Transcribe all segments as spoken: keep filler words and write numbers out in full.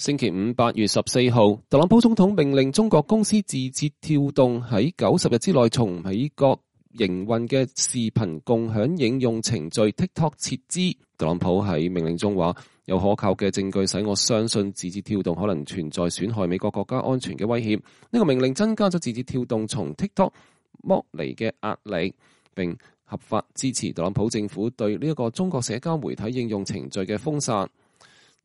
星期五八月十四號，特朗普總統命令中國公司字節跳動喺九十日之內從美國營運嘅視頻共享應用程序 TikTok 撤資。特朗普喺命令中話，有可靠嘅證據使我相信字節跳動可能存在損害美國國家安全嘅威脅。呢個命令增加咗字節跳動從 TikTok 剝離嘅壓力，並合法支持特朗普政府對呢一個中國社交媒體應用程序嘅封殺。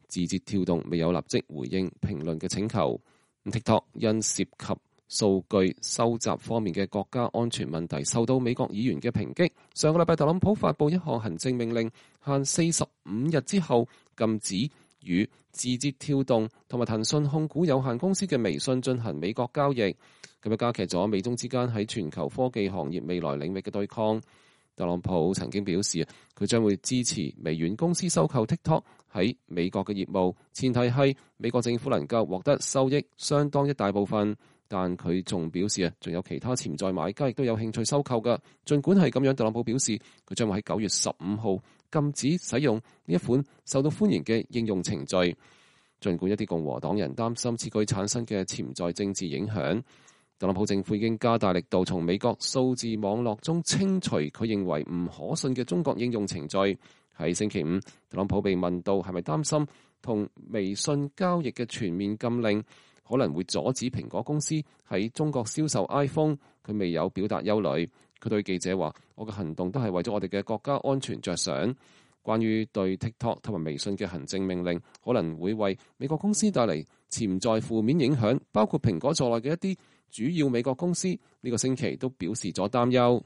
字節跳動未有立即回應評論嘅請求。TikTok 因涉及數據收集方面嘅國家安全問題，受到美國議員嘅抨擊。上個禮拜，特朗普發布一項行政命令，限四十五日之後禁止與字節跳動同埋騰訊控股有限公司嘅微信進行美國交易，咁樣加劇咗美中之間喺全球科技行業未來領域嘅對抗。特朗普曾經表示，佢將會支持微軟公司收購 TikTok 喺美國嘅業務，前提係美國政府能夠獲得收益相當一大部分。但佢仲表示啊，仲有其他潛在買家亦都有興趣收購㗎。儘管係咁樣，特朗普表示佢將會喺九月十五號禁止使用呢一款受到歡迎嘅應用程序。儘管一啲共和黨人擔心此舉產生嘅潛在政治影響，特朗普政府已經加大力度從美國數字網絡中清除佢認為唔可信嘅中國應用程序。喺星期五，特朗普被問到係咪擔心同微信交易嘅全面禁令可能會阻止蘋果公司喺中國銷售 iPhone， 佢未有表達憂慮。佢對記者話：我嘅行動都係為咗我哋嘅國家安全着想。關於對 TikTok 同埋微信嘅行政命令可能會為美國公司帶嚟潛在負面影響，包括蘋果在內嘅一啲主要美國公司呢個星期都表示咗擔憂。